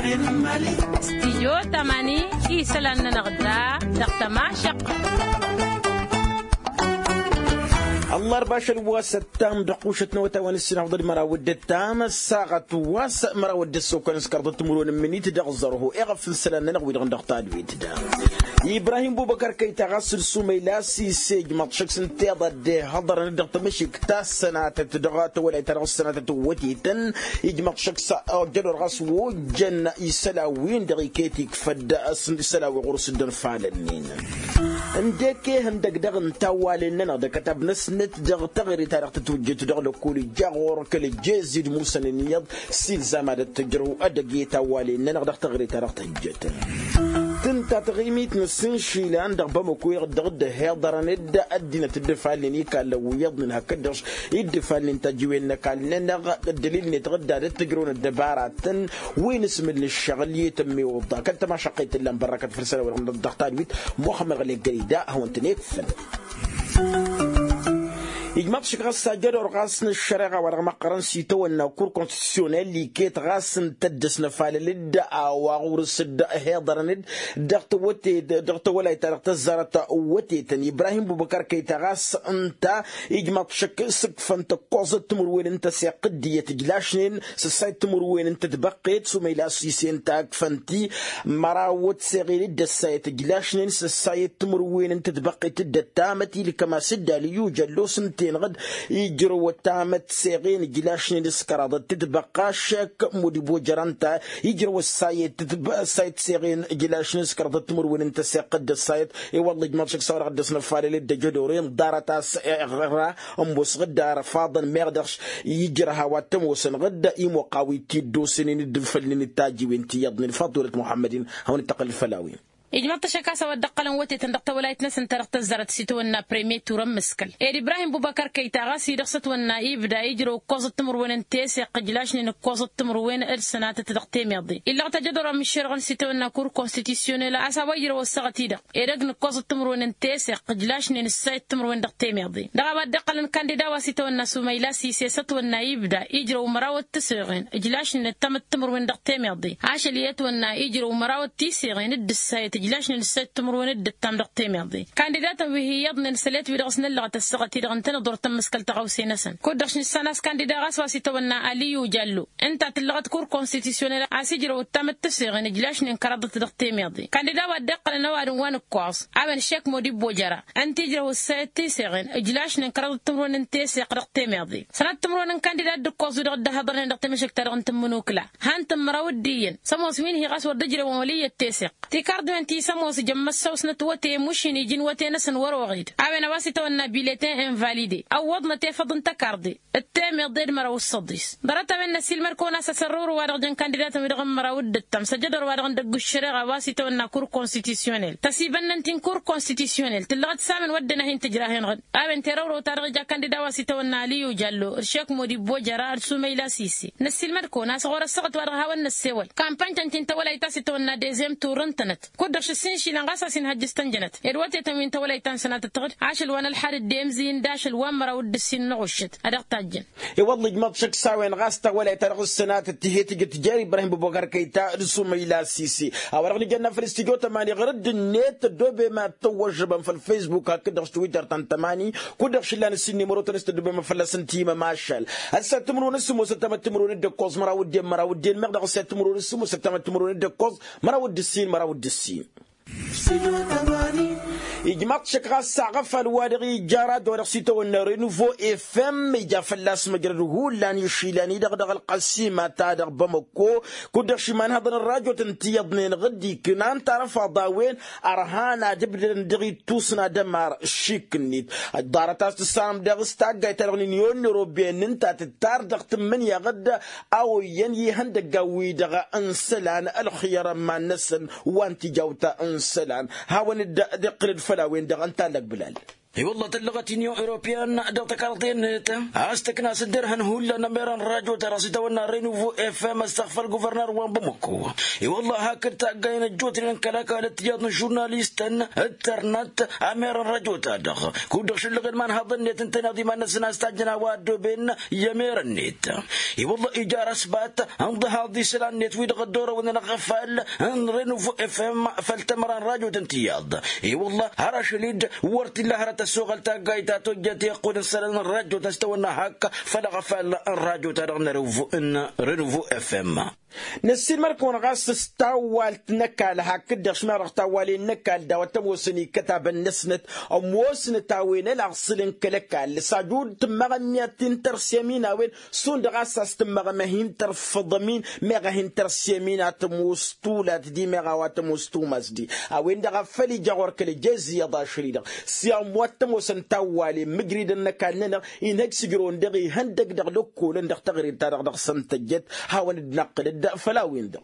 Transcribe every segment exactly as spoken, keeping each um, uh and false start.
Stijyo tamani isălan-nănăɣ da dăɣ-tămašăq. Ăllarba ašăl wa s-ăttam dăɣ-kušăt n-awătay wa n-ǝssinafḍăd măraw d-ăttam ăssaɣăt wa s-măraw d-ăssokăn s-kăraḍăt timǝrwen n-imǝnit dăɣ-zărho iɣăf n-isălan-nănăɣ wi-dăɣ n-dăɣ tadwit da. Ibrahim bubăkar kăyta ɣas d-sumăyla s-isejmăḍ šăkk s-ǝnta iḍa dd-ihăḍărăn dăɣ-tamăšikt ta s-sănatăt dăɣ-tawălayt ta dăɣ-s sănatăt n-wătetăn. Ijmăḍ šăkk s-ojădor ɣas ojăn isălan-win-dăɣ iket ikfăd s-isălan wi ɣur-s dd-ănfalăn-in. Ǝndek ehăndăg dăɣ-ǝnta a walen-nănăɣ d-akătab-năsnăt dăɣ-taɣrit ta dăɣ-tătwǝjjǝt dăɣ-lăkul ija ɣur-kăl-ejez idmusăn-in iyyăḍ s-ilzam ad-ăttăjrăw ad-ăgg-e tawwalen-nănăɣ dăɣ-taɣre ta dăɣ-tăhǝjjătăn. Tǝnta taɣimit n-asǝnšilăn dăɣ-bamăko iɣǝddăɣ dd-ăhiḍărăn dd-ăddinăt dd-ăfalnen ikallăn wi iyyăḍnen hakd-dăɣ dd-ăfalnen tajǝwen n-ăkall-nănăɣ. Ăddălil-net ɣǝdda ad-ăttăjrăwăn ăddăbaratăn wi n-asmǝl n-ǝššăɣǝl i-tămmiwǝḍa kăl-tămašăqqet tǝllan bărrakăt făll-isălan-wi-dăɣ n-dăɣ-tadwit muxămmăd ɣălek gări da hawăn-tăn-ekfăn. Ijmaḍ šik ɣas ajădor ɣas n-ăššăreɣa wa dăɣ-măqqărăn s-itawănna kur konstitusyonel iket ɣas ǝnta dd-ăsnăfalăl-dd a-wa ɣur-s dd-hiḍărăn-dd dăɣ-tawăte dăɣ-tawălayt ta dăɣ-tăzzarăt. Wătetăn ibrahim bubăkar kăyta ɣas ǝnta ijmaḍ šik s-ǝkfăn tăkkoẓăt timǝrwen n-tăseɣt d-iyyăt ǝjlašnen s-ǝssayăt timǝrwen n-tătbăqqet s-umăyla s-ise ǝnta ǝkfăn-ti măraw d-seɣen d-ăssayăt ǝjlašnen s-ǝssayăt timǝrwen n-tătbăqqet d-ăttamăt ilkăm-as-dd alǝyyu jăllos ǝnta-enăɣ-dd ijrăw ăttamăt seɣen ǝjlašnen s-kăraḍăt tǝtbăqqa šek mudibojăr ănta ijrăw ăssayăt seɣen ǝjlašnen s-kăraḍăt timǝrwen n-tăseɣt d-ăssayăt. I-wălla ijmaḍ šek s-a-wa dăɣ-dd-ăsnăfalăl d-ăjădor inḍarăt-as iɣra ămoosăɣ-dd arăfaḍăn meɣ dăɣ-š ijrăh a-wa t-ămoosănăɣ-dd imoqqaw-i t-dd-osănen d-infălnen d-tajiwen ti iyyăḍnen faḍulăt muḥămmăd-in. Hawăn-dd-tăqqălăl făll-a-wen. Ijmăḍ-t ašăk a-s a-wa dd-ăqqălăn wătetăn dăɣ-tawălayt-năsăn ta dăɣ-tăzzarăt s-itawănna premier turăn mǝskăl ed ibrahim bubăkăr kăyta ɣas-i dăɣ-s ătwănna ibda ijrăw ǝkkoẓăt timǝrwen n-teseɣt ǝjlašnen ǝkkoẓăt timǝrwen d-sănatăt dăɣ-temeḍe illăɣ-t ajădor amǝššerăɣăn s-itawănna kur konstitusyonel a-s a-wa ijrăw ăssaɣăt-i-dăɣ edăgg n-ǝkkoẓăt timǝrwen n-teseɣt ǝjlašnen ǝssayăt timǝrwen dăɣ-temeḍe dăɣ-a-wa dd-iqqălăn kandida wa s-itawănna sumăyla s-ise s-ătwănna ibda ijrăw măraw d-tiseɣen ǝjlašnen ǝttămăt timǝrwen dăɣ-temeḍe ašăl i-ătwănna ijrăw măraw d-tiseɣen d-ǝssayăt ǝjlašnen ǝssayăt timǝrwen d-ǝttam dăɣ-temeḍe kandidatăn wi hi-iyyăḍnen s-ălet wi dăɣ-s năllăɣăt ăssaɣăt-i-dăɣ ǝntăneḍ wăr tămmăskăl tăɣawse-năsăn kud-dăɣ š-nǝssan a-s kandida ɣas wa s-itawănna aliyu jallo ǝnta a tǝllăɣăt kur konstitusyonel a-s ijrăw ǝttamăt tiseɣen ǝjlašnen kăraḍăt dăɣ-temeḍe kandida wa dd-iqqălăn ăwadǝm wa n-ǝkkoẓ a-wen šek modibbo jăra ǝnta ijrăw ǝssayăt tiseɣen ǝjlašnen kăraḍăt timǝrwen n-teseɣt dăɣ-temeḍe sănat timǝrwen n-kandida dd-ǝkkoẓ wi-dăɣ dd-ăhhăḍărnen dăɣ-temăšăkt-ta-dăɣ n-tǝmmǝnukla han-tǝmmăraw d-iyyăn s-ămoos wi n-hi ɣas wăr dd-ǝjrewăn wăl' iyyăt teseɣt tikarḍiwen ti s-ămoos jăn măssăwsnăt wăte mušin iji n-wăte-năsăn wăr-oɣed a-wen a-wa s-itawănna biletin invalider ăwwăḍnăt efăḍ n-tăkarḍe d-temeḍe d-măraw s-săḍis ḍarăt-a-wen n-ăsiilmăd-kăwăn a-s asărrăwru wa dăɣ-jăn kandida-tăn wi-dăɣ n-măraw d-ǝttam s-ăjădor wa dăɣ-n dăgg-ǝššăreɣa a-wa s-itawănna kur konstitusyonel tăsibănnăn-t-in kur konstitusyonel tǝllăɣăt s-a-wen wădden a hin-tǝjrahen-ɣ-dd a-wen terăwrăw-ta-dăɣ ija kandida wa s-itawănna aliyu jallo d-šek modibbo jăra d-sumăyla s-ise năssiilmăd-kăwăn a-s ɣur-ăssaɣăt wa dăɣ-hawăn-năssewăl kampanj-tăn-t-in tawălayt ta s-itawănna dezem turǝntănăt kud-dăɣ šǝssin išilan ɣas a-s inhăjjǝs tănjănăt ed wătetăn wi n-tawălayt ta n-sănatăt tăɣ-dd ašăl wa n-ălxad dd-emzǝy n-d-ašăl wa n-măraw d-ǝssin n-aɣuššăt a dăɣ-tajjăn. I-wălla ijmăḍ šăkk s-a-wen ɣas tawălayt ta dăɣ-s sănatăt tihe tǝjǝt jer-ibrahim bubăkăr kăyta d-sumăyla s-ise a-wa dăɣ-nǝjănna făll-studyo tămani ɣur-dd-net ăddobem ad-tăwwăžžăbăm făll-facebook hakd-dăɣ s-twitter ta n-tămani kud-dăɣ šǝllan ǝssin nimăro-tăn s-tăddobem ad-fălla-săn timămašal. Ăssaɣăt timǝrwen s-sǝmmos ăttamăt timǝrwen d-ǝkkoẓ măraw d-en măraw d-en meɣ dăɣ-ăssaɣăt timǝrwen s-sǝmmos ăttamăt timǝrwen d-ǝkkoẓ măraw d-ǝssin măraw d-ǝssin. Ijmaḍ šăkk ɣas aɣăfal wa dăɣ-ija rad wa dăɣ-s itawănna renuvo efem ija fălla-s măjrăd hullan išilan-i-dăɣ dăɣ-ălqăsima ta dăɣ-bamăkko kud-dăɣ šimanhăḍăn ărrajot n-tiyyăḍnen ɣǝd-iknan tarăfaḍ a-wen ărhan ad-ǝbdădăn dăɣ-ittus n-ad-ămar šik-net. Ḍarăt a-s tǝssanăm daɣ s-taggayt-ta-dăɣ n-inyon n-eroben ǝnta tǝttar dăɣ-tǝmmǝnǝya ɣǝd a oyyăn i-ihăndăggan-wi-dăɣ n-isălan ălxǝyăr ămman-năsăn wa n-tijawt n-isălan. Hawăn-dd-iqqǝl-dd făll-a-wen-dăɣ ǝnta a lăgbǝlal. I-wălla tăllăɣăt inyon europeyăn dăɣ-tăkarḍe-net a-s tǝkna s-dd-irhăn hullan ămerăn rajo-ta-dăɣ s-itawănna renuvo fm ăstăɣfăl guvărnăr wa n-bamăko. I-wălla hakd taggayăn ăjjootnen n-kăl-ăkall d-tijaḍ n-žurnalistăn d-tărnăt ămerăn rajo-ta-dăɣ kud-dăɣ šǝllăɣen imanhaḍăn-net ǝntăneḍ iman-năsăn a-s tajjăn a-wa ăddooben i-ămerăn-net. I-wălla ija răsbat ǝnḍăhaḍ isălan-net wi-dăɣ ăddoorăwăn ănăɣ-afal n-renuvo fm făll-tămăra n-rajot n-tiyyăḍ. I-wălla har ašăl-dd wăr t-illa hărăt ăssoɣăl taggayt ta tojjăt i-iqqud n-isălan n-rajot n-s tawănna hak făll-aɣăfal n-rajot-ta-dăɣ n-renuvo fm. Năssiinmăr-kăwăn ɣas s-tawwalt n-ăkall hakd-dăɣ šmăreɣ tawwalen n-ăkall daw-ăttămoosăn ikkătabăn-năsnăt ămoosnăt a-wen ălaɣsǝl n-kăl-ăkall s-ajud tǝmmăɣ ămmiyyăt ti n-tărsemin a-wen šund ɣas a-s tǝmmăɣ ămăhin tărfăḍămin meɣ a hin-tărsemin a tămoos tulat di meɣ a-wa tămoos tumas di. A-wen-dăɣ a făl ija ɣur-kăl-ejez iyyăḍ ašăl-i-dăɣ s-i-ămmoot tămoosăn tawwalen mǝjridăn n-ăkall-nănăɣ inhăj s-ǝjrăwăn dăɣ-ihăndăg dăɣ-lăkkolăn dăɣ-taɣrit-ta-dăɣ dăɣ-săn tăjjăt. Hawăn-dd-năqqǝlăd făll-a-wen-dăɣ.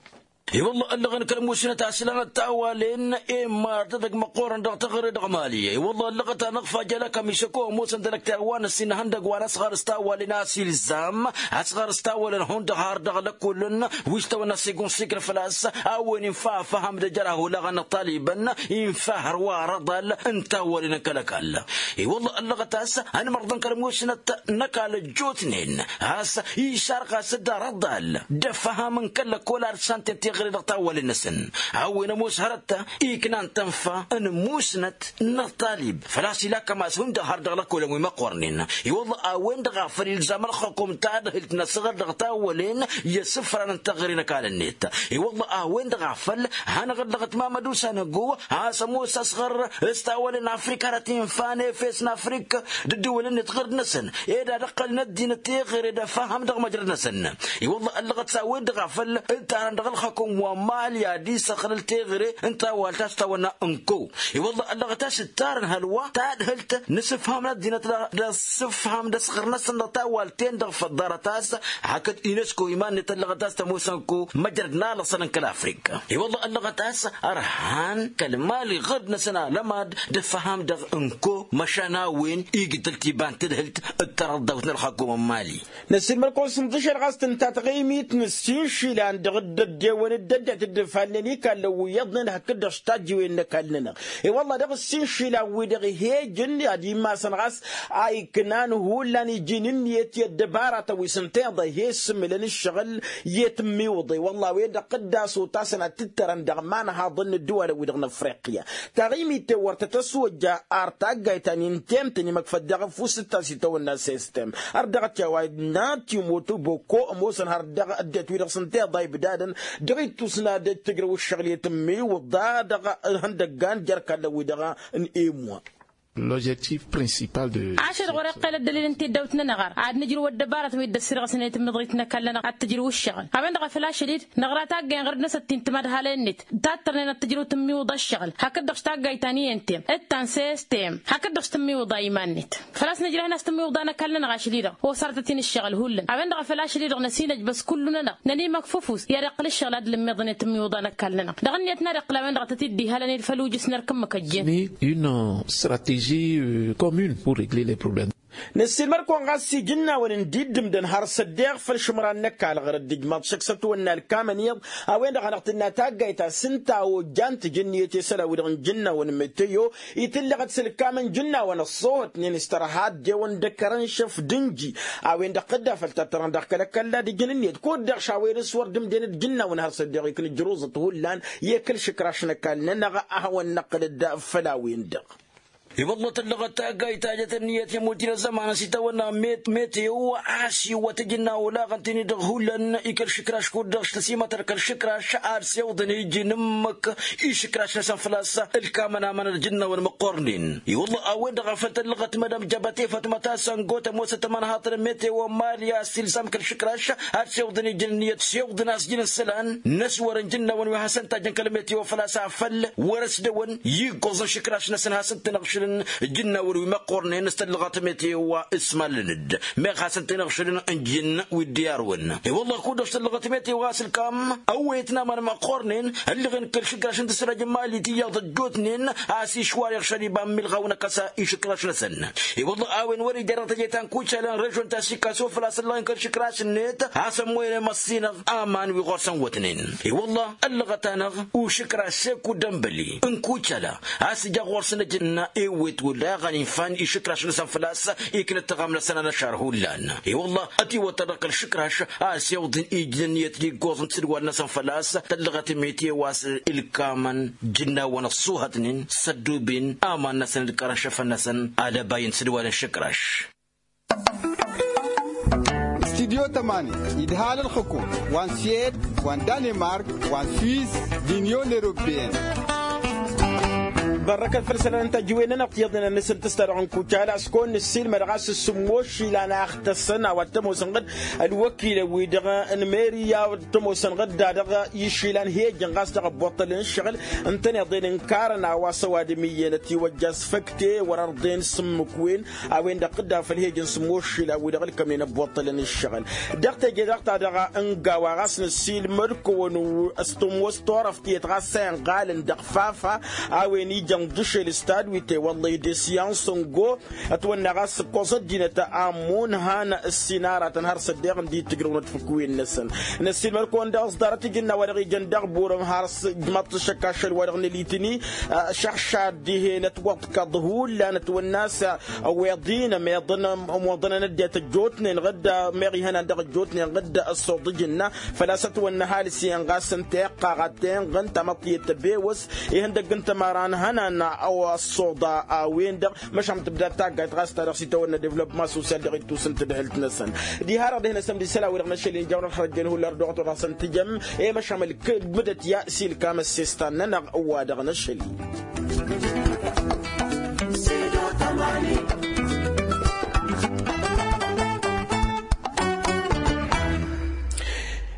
I-wălla ăllăɣăn kăl-musnăt aslan d-tawwalen i-mart edăgg măqqoorăn dăɣ-taɣre dăɣ-mali. I-wălla ăllăɣăt-anăɣ fajal ăkămi s-ăko ămoosăn d-ălăkter wa n-ăssin ihăndăg wa n-asɣar s-tawwalen a-s ilzam asɣar s-tawwalen hundăɣ har dăɣ-lăkkolăn wi s-tawănna sigun sikr făl-a-s a-wen infa afăhăm d-ejăr aholaɣăn n-talibăn infa hărwa arăḍal n-tawwalen n-kăl-ăkall. I-wălla ăllăɣăt a-s ănmărḍăn kăl-musnăt n-ăkall ăjjootnen a-s išarɣas d-arăḍal d-afăhăm n-kăl-lăkkol ad-santen tiɣre dăɣ-tawwalen-năsăn. A-wen ămoos hărăt iknan tănfa n-musnăt n-ăṭṭalib făl-a-s ila kămas hundăɣ har dăɣ-lăkkolăn wi măqqornen. I-wălla a-wen-dăɣ a făl ilzam ălxukum tadhǝlt n-asɣăr dăɣ-tawwălen i-asǝfran n-taɣre n-ăkall-net. I-wălla a-wen-dăɣ a făl hanăɣ-ăllăɣăt mamăd usanăgo a-s ămoos asɣăr s-tawwălen afrika arăt-infa n-efes n-afrik d-ǝddǝwǝl-net ɣǝrd-năsăn ed ad-ǝqqălăn ăddinăt teɣăre d-afăhăm dăɣ-măjrăd-năsăn. I-wălla ăllăɣăt s-a-wen-dăɣ a făl ǝttarăn dăɣ-ălxăkum wa n-mali ad-isăxlăl teɣăre n-tawalt a-s tawănna n-ko. I-wălla ăllăɣăt a-s ǝttarăn hălwa tadhǝlt n-asǝfham n-ăddinăt d-asǝfham d-asɣăr-năsăn dăɣ-tawalt-ten-dăɣ făl ḍarăt a-s hakd unesco iman-net ăllăɣăt a-s tămoosăn ko măjrăd n-alăṣăl n-kăl-afrika. I-wălla ăllăɣăt a-s ărhan kăl-mali ɣǝrd-năsăn alămad d-afăhăm dăɣ-n-ko măšan a-wen igdăl tiba n-tadhǝlt d-tarăḍḍawt n-ălxakum n-mali. Năssiinmăr-kăwăn s-inḍǝšăl ɣas tǝnta taɣimit n-ǝssin išilan dăɣ-dd-ăddewăn d-ăddinăt dd-ǝfalnen ikallăn wi iyyăḍnen hakd-dăɣ s-tajjiwen n-ăkall-nănăɣ. I-wălla dăɣ-ǝssin išilan-wi-dăɣ ih'-ejăn ad-immasăn ɣas a iknan hullan iji n-ǝnniyăt i-ăddăbaratăn wi s-ǝnta iḍa ih'-e-ǝssǝmǝlăn ǝššăɣǝl i-tǝmmiwǝḍe wălla a-wen-dăɣ dd-asotasăn ad-t-ǝttărăn dăɣ-imanhaḍăn n-ǝddǝwalăn-wi-dăɣ n-afriqya. Taɣimit-ten wăr tăt-ăswăjja ar taggayt ta n-intemtăn imăkfăt daɣ ăfuss d-tasitawănna sistem har dăɣ-t i-a-wa n-timotoboko ămoosăn har dăɣ-ăddinăt-wi-dăɣ s-ǝnta iḍa ibdadăn dăɣ-ittus n-ad-ăj tǝjrăw ǝššăɣǝl i-tǝmmiwǝḍa dăɣ-ihăndăggan jer-ikallăn-wi-dăɣ n-emwa. L'objectif principal de ašăl ɣur-iqqel ăddălil n-tiddawt-nănăɣ ar ad-nǝjrǝw ăddăbarăt wi dd-ăssirɣăsnen i-tǝmmǝḍrit n-ăkall-nănăɣ ad-t-ǝjrǝw ǝššăɣǝl. A-wen-dăɣ a făl ašăl-dd năɣra taggayăn ɣărăt-năsăt ti n-timad halăyăn-net tattărnen ad-t-ǝjrǝw tǝmmiwǝḍa ǝššăɣǝl hakd-dăɣ s-taggayt ta n-i n-tem d-ta n-sistem hakd-dăɣ s-tǝmmiwǝḍa iman-net. Făl-a-s nǝjrăh-in a-s tǝmmiwǝḍa n-ăkall-nănăɣ ašăl-i-dăɣ osărătăt-in ǝššăɣǝl hullan a-wen-dăɣ a făl ašăl-i-dăɣ năsinăjbăs kullu-nănăɣ nănimăkfăf us i-ad-iqqǝl ǝššăɣǝl ad-dd-lǝmmiḍăn i-tǝmmiwǝḍa n-ăkall-nănăɣ dăɣ-ǝnniyăt n-ad-iqqǝl a-wen-dăɣ a tăt-dd-ihalăn i-făl ujǝs n-erk ǝmmǝk ăjjeen. Une stratégie commune pour régler les problèmes. Năssiilmăr-kăwăn ɣas iji n-a-wen n-dd-iddǝmdăn har s-ăddeeɣ făll-išǝmran n-ăkall ɣur-dd ǝjmaḍ šăkk s-ătwănna ălkamăn iyyăḍ a-wen-dăɣ a hanăɣ-tǝnna taggayt ta s-ǝnta a ojja n-tǝjǝnniyăt i-isălan-wi-dăɣ n-ijǝnnawăn meteo. Itǝllăɣăt s-ălkamăn ijǝnnawăn ăṣṣoohătnen s-tărha ăddewăn d-ăkărăn šăf d-ǝnji a-wen-dăɣ tădda făll-tattărăn dăɣ-kăl-ăkall ad-ǝjǝn ǝnniyăt kud-dăɣ šawăyăn s-wăr dd-ǝmden d-ijǝnnawăn har s-ăddeeɣ iknǝjrǝẓăt hullan i-kăl-išǝkraš n-ăkall-nănăɣ a hawăn-năqqǝlăd făll-a-wen-dăɣ. I-wălla tǝllăɣăt taggayt ta jăt ǝnniyăt i-muddir ăzzăman s-itawănna meteo a-s iwwăt ijǝnna olaɣăn-ten-i-dăɣ hullan i-kăl-išǝkraš kud-dăɣ s-tăsimătăr kăl-išǝkraš ad-siwǝḍăn iji n-ǝmmǝk išǝkraš-năsăn făl-a-s ǝlkamăn amănăd ijǝnnawăn măqqornen. I-wălla a-wen-dăɣ a făl tǝllăɣăt mădam jăbăte fatmăt a-s ăngo tămoosăt ămanhaḍăn n-meteo n-mali a-s ilzam kăl-išǝkraš ad-siwǝḍăn iji n-ǝnniyăt siwǝḍăn a-s iji n-isălan n-ăswărăn ijǝnnawăn wi hasăn-tajjăn kăl-meteo făl-a-s afăl wăr-ăsdăwăn iggoẓăn išǝkraš-năsăn hasăn-tăn-ăɣšǝlăn. ǝjǝnnawen wi măqqornen s-tăllăɣăt metewa s-mallăn-dd meɣ hasăn-ten-iɣšălăn n-ijǝnn wi dd-iyarwăn. I-wălla kud-dăɣ s-tăllăɣăt metewa a-s ǝlkam ăwwăyăt n-aman măqqornen ăllăɣen kăl-išǝkraš n-tǝsrajăn mali tiyyăḍ ăjjootnen a-s išwar iɣšăl iba n-milɣaw n-akăsa išǝkraš-năsăn. I-wălla a-wen wăr-ija dăɣ-teje ta n-kucalăn režon ta s-ikkas o făl-a-s ăllăɣen kăl-išǝkraš-net a-s ămmoyăn i-măssinăɣ aman wi ɣur-săn wătnen. I-wălla ăllăɣăt-anăɣ ušǝkraš šeku dămbăli n-kucala a-s ija ɣur-săn ăjǝnna ewwet wăr-dăɣ ănifan išǝkraš-năsăn făl-a-s iknăt taɣam-năsăn anăšar hullan. I-wălla ătiwăttăr dăɣ-kăl-išǝkraš a-s iwḍǝn ijnăn iyyăt d-iggoẓ n-tisǝdwal-năsăn făl-a-s tăllăɣăt metewa a-s ǝlkamăn ǝjǝnnawăn ăṣṣuhătnen s-ădduben aman-năsăn d-kărăn šăfăn-năsăn alăbay n-tisǝdwal n-išǝkraš. Studyo tămani idhal ălxǝkum wa n-swed wa n-danemark wa n-swiz d-inyon europeyăn. Bărrăkăt făll-isălan n-tajǝwen-nănăɣ tiyyăḍnen ănnăsăn tǝsta dăɣ-nǝkkucala s-kăwăn-nǝssilmăd ɣas s-sǝmmos išilan a ăxtăssăn a-wa t-ămoosăn ɣǝd ălwăkilăn-wi-dăɣ n-meri a-wa t-ămoosăn ɣǝd-da-dăɣ išilan hejăn ɣas dăɣ-ăbboṭṭălăn ǝššăɣǝl ǝntăneḍ-en ǝnkarăn a-wa s-ăwadǝm iyyăn ătiwăjja s-făkte wăr-ărḍen s-ǝmmǝk-wen. A-wen-dăɣ tǝdda făll-hejăn s-ămoššǝl a-wi-dăɣ ǝlkămnen ăbboṭṭălăn ǝššăɣǝl. Dăɣ-teje-dăɣ ta dăɣ-ǝnga wa ɣas năssiilmăd-kăwăn s-tămoos turăft tiyyăt ɣas a inɣalăn dăɣ-fafa a-wen ijăn ḍǝšel s-tadwit i-wălla idesyan s-ǝngo ătwănna ɣas ǝkkoẓ ăddinăt ammon han ǝssin aratăn har s-ăddeɣ ǝndi tǝjrăwnăt fǝkwen-năsăn. Năssiilmăd-kăwăn daɣ s-ḍarăt ijǝnna wa dăɣ-ijăn dăɣ-burăm har s-ǝjmăḍ-t ašăk ašăl wa dăɣ-nălitǝni. Šăḥšad dihen ătwăḍkăḍ hullan ătwănna a-s ăweḍ-in ămeḍăn ămoḍăn ănăddiyăt ăjjootnen ɣǝdd meɣ ihănan dăɣ-ăjjootnen ɣǝdd ăṣṣuḍ ǝjǝnna. Făl-a-s ătwănna ăhalǝs-en ɣas ǝnta iqqaɣ ad-tenɣăn tamăḍt tiyyăt tăbewăs ihăndăgg n-tămăra n-ihănan a-wa ăṣṣuḍa a-wen-dăɣ. Măšan tǝbdad taggayt ɣas ta dăɣ-s itawănna devlopma sosyal dăɣ-ittus n-tadhǝlt-năsăn. Diha-dăɣ dehna sămdi isălan-wi-dăɣ n-ašăl-in ija wăr-ălxărăjjăn hullan ărdăɣăt wăr hasăn-tǝjăm. I-măšan mălkăd mǝdăt ya s-ilkam ăssestan-nănăɣ wa dăɣ-năšăl-i.